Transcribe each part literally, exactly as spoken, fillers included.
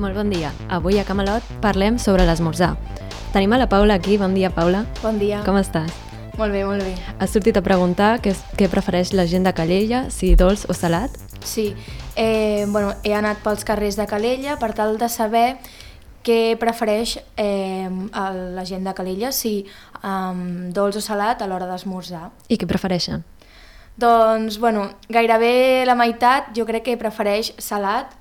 Molt bon dia. Avui a Camelot parlem sobre l'esmorzar. Tenim a la Paula aquí. Bon dia, Paula. Bon dia. Com estàs? Molt bé, molt bé. Has sortit a preguntar què, què prefereix la gent de Calella, si dolç o salat? Sí, eh, bueno, he anat pels carrers de Calella per tal de saber què prefereix eh, la gent de Calella, si um, dolç o salat a l'hora d'esmorzar. I què prefereixen? Doncs, bueno, gairebé la meitat jo crec que prefereix salat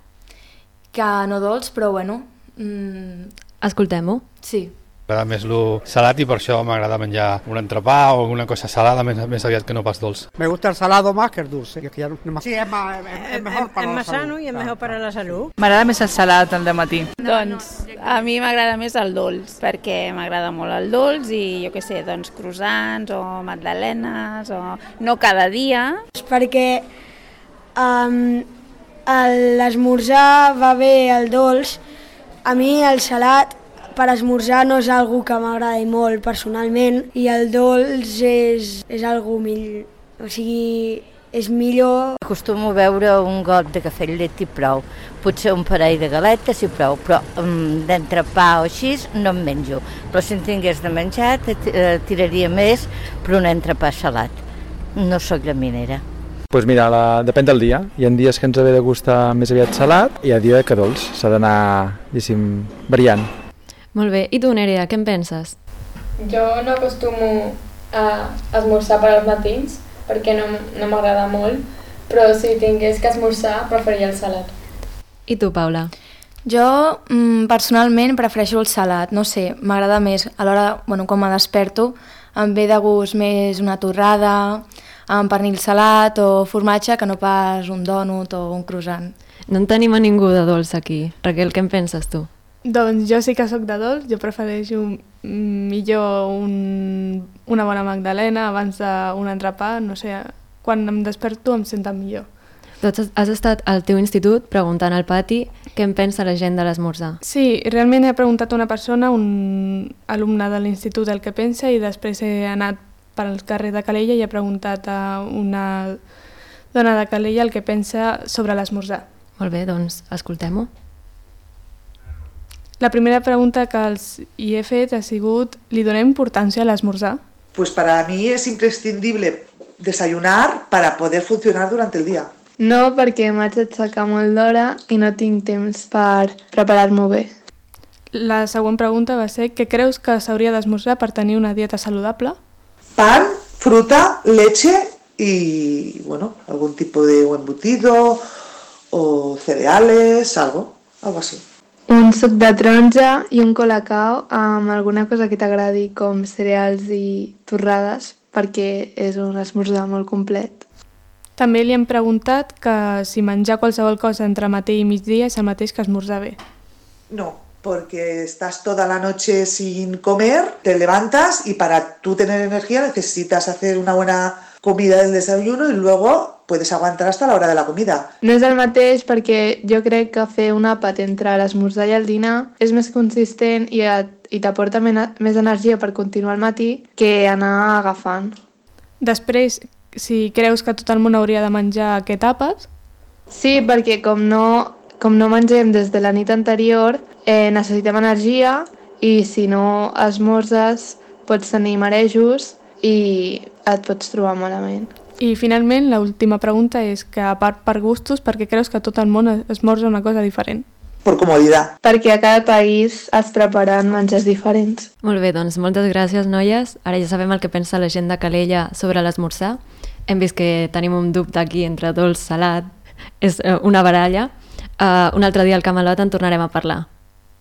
que no dolç, però bueno... Mm, Escoltem-ho. sí. M'agrada més el salat i per això m'agrada menjar un entrepà o alguna cosa salada més, més aviat que no pas dolç. Me gusta el salado más que el dulce. Que ya no es más... Sí, es, más, es, es mejor para es la más salud. sano i és millor per a la salut. M'agrada més el salat al dematí. Doncs a mi m'agrada més el dolç, perquè m'agrada molt el dolç i jo què sé, doncs croissants o magdalenes o no cada dia. Perquè um, l'esmorzar va bé el dolç, a mi el salat per esmorzar no és algo que m'agradi molt personalment i el dolç és, és algo millor, o sigui, és millor. Acostumo a beure un got de cafè amb llet i prou, potser un parell de galetes i prou, però um, d'entrepà o així no en menjo. Però si en tingués de menjar tiraria més per un entrepà salat. No sóc llaminera. Pues mira, la, depèn del dia. Hi ha dies que ens ve de gustar més aviat salat i hi ha dia que dolç. S'ha d'anar, diguéssim, variant. Molt bé. I tu, Nerea, què en penses? Jo no acostumo a esmorzar per als matins perquè no, no m'agrada molt, però si tingués que esmorzar preferiria el salat. I tu, Paula? Jo mm, personalment prefereixo el salat, no sé, m'agrada més. A l'hora, bueno, quan me desperto, em ve de gust més una torrada, amb pernil salat o formatge que no pas un dònut o un croissant. No en tenim a ningú de dolç aquí. Raquel, què en penses tu? Doncs jo sí que sóc de dolç, jo prefereixo millor un, una bona magdalena abans d'un entrepà, no sé, quan em desperto em sento millor. Doncs has estat al teu institut preguntant al pati què en pensa la gent de l'esmorzar. Sí, realment he preguntat a una persona, un alumne de l'institut el que pensa i després he anat pel carrer de Calella i he preguntat a una dona de Calella el que pensa sobre l'esmorzar. Molt bé, doncs escoltem-ho. La primera pregunta que els hi he fet ha sigut, ¿li donem importància a l'esmorzar? Pues para mí es imprescindible desayunar para poder funcionar durante el día. No, perquè m'haig d'aixecar molt d'hora i no tinc temps per preparar-m'ho bé. La següent pregunta va ser, què creus que s'hauria d'esmorzar per tenir una dieta saludable? Pan, fruta, leche y, bueno, algún tipo de embutido o cereales, algo, algo así. Un suc de taronja i un colacao amb alguna cosa que t'agradi com cereals i torrades perquè és un esmorzar molt complet. També li hem preguntat que si menjar qualsevol cosa entre matí i migdia és el mateix que esmorzar bé. No, porque estás toda la noche sin comer, te levantas y para tú tener energía necesitas hacer una buena comida del desayuno y luego puedes aguantar hasta la hora de la comida. No és el mateix perquè jo crec que fer un àpat entre l'esmorzar i el dinar és més consistent i, et, i t'aporta més energia per continuar al matí que anar agafant. Després, si creus que tot el món hauria de menjar aquest àpat? Sí, perquè com no, com no mengem des de la nit anterior, eh, necessitem energia i si no esmorzes pots tenir marejos i et pots trobar malament. I finalment, l'última pregunta és que, a part per gustos, per què creus que tot el món esmorza una cosa diferent? Per comoditat. Perquè a cada país es preparen menjars diferents. Molt bé, doncs moltes gràcies, noies. Ara ja sabem el que pensa la gent de Calella sobre l'esmorzar. Hem vist que tenim un dubte aquí entre dolç, salat, és una baralla. Uh, un altre dia al Camelot en tornarem a parlar.